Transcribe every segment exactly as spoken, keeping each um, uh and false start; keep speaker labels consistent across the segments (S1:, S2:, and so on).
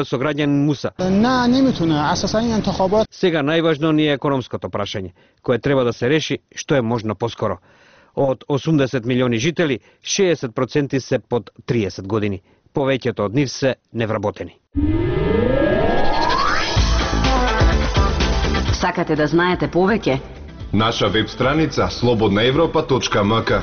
S1: со граѓанин Муса.
S2: Не, نمیتونه. اساسا این انتخابات
S1: Сега најважно ни е економското прашање, кое треба да се реши што е можно поскоро. Од осумдесет милиони жители, шеесет проценти се под триесет години. Повеќето од нив се невработени.
S3: Сакате да знаете повеќе?
S4: Наша веб страница слободна европа точка ем ка.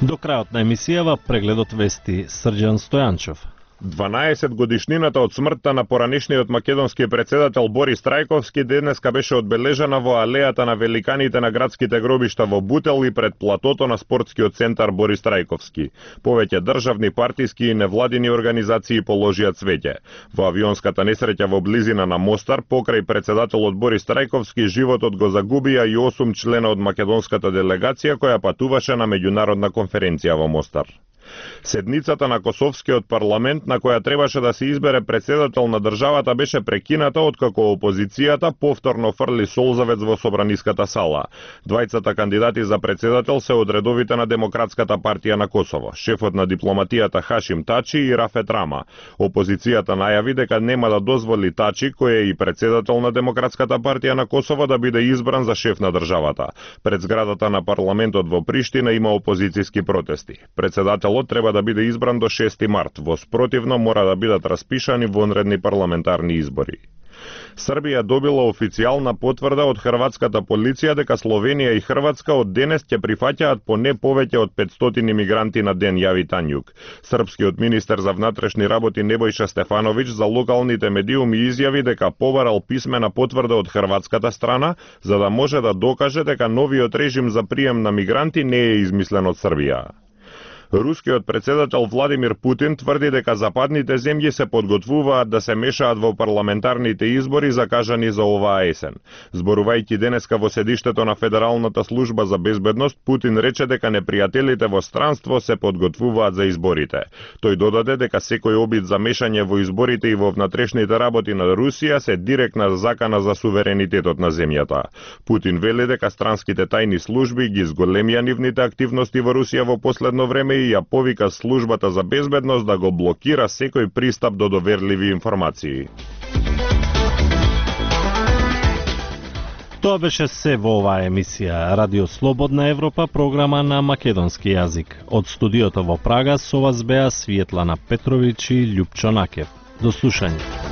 S5: До крајот на емисијава прегледот вести Срđan Стојанчов.
S6: дванаесет годишнината од смртта на поранешниот македонски председател Борис Трајковски денеска беше одбележана во алејата на великаните на градските гробишта во Бутел и пред платото на спортскиот центар Борис Трајковски. Повеќе државни, партиски и невладини организации положија цвеќе. Во авионската несреќа во близина на Мостар, покрај председателот Борис Трајковски, животот го загубија и осум члена од македонската делегација која патуваше на меѓународна конференција во Мостар. Седницата на Косовскиот парламент на која требаше да се избере председател на државата беше прекината откако опозицијата повторно фрли солзавец во собраниската сала. Двајцата кандидати за председател се од редовите на Демократската партија на Косово, шефот на дипломатијата Хашим Тачи и Рафет Рама. Опозицијата најави дека нема да дозволи Тачи, кој е и председател на Демократската партија на Косово, да биде избран за шеф на државата. Пред зградата на парламентот во Приштина има опозицијски протести. Председателот треба да биде избран до шести март, во спротивно мора да бидат распишани вонредни парламентарни избори. Србија добила официјална потврда од хрватската полиција дека Словенија и Хрватска од денес ќе прифаќаат поне повеќе од петстотини мигранти на ден, јави Тањук. Српскиот министер за внатрешни работи Небојша Стефановиќ за локалните медиуми изјави дека побарал писмена потврда од хрватската страна за да може да докаже дека новиот режим за прием на мигранти не е измислен од Србија. Рускиот председател Владимир Путин тврди дека западните земји се подготвуваат да се мешаат во парламентарните избори закажани за оваа есен. Зборувајќи денеска во седиштето на Федералната служба за безбедност, Путин рече дека непријателите во странство се подготвуваат за изборите. Тој додаде дека секој обид за мешање во изборите и во внатрешните работи на Русија се директна закана за суверенитетот на земјата. Путин вели дека странските тајни служби ги зголемија нивните активности во Русија во последно време и ја повика службата за безбедност да го блокира секој пристап до доверливи информации.
S5: Тоа беше се во оваа емисија Радио Слободна Европа, програма на македонски јазик. Од студиото во Прага со вас беа Светлана Петровиќ и Љупчо Накев. До слушање.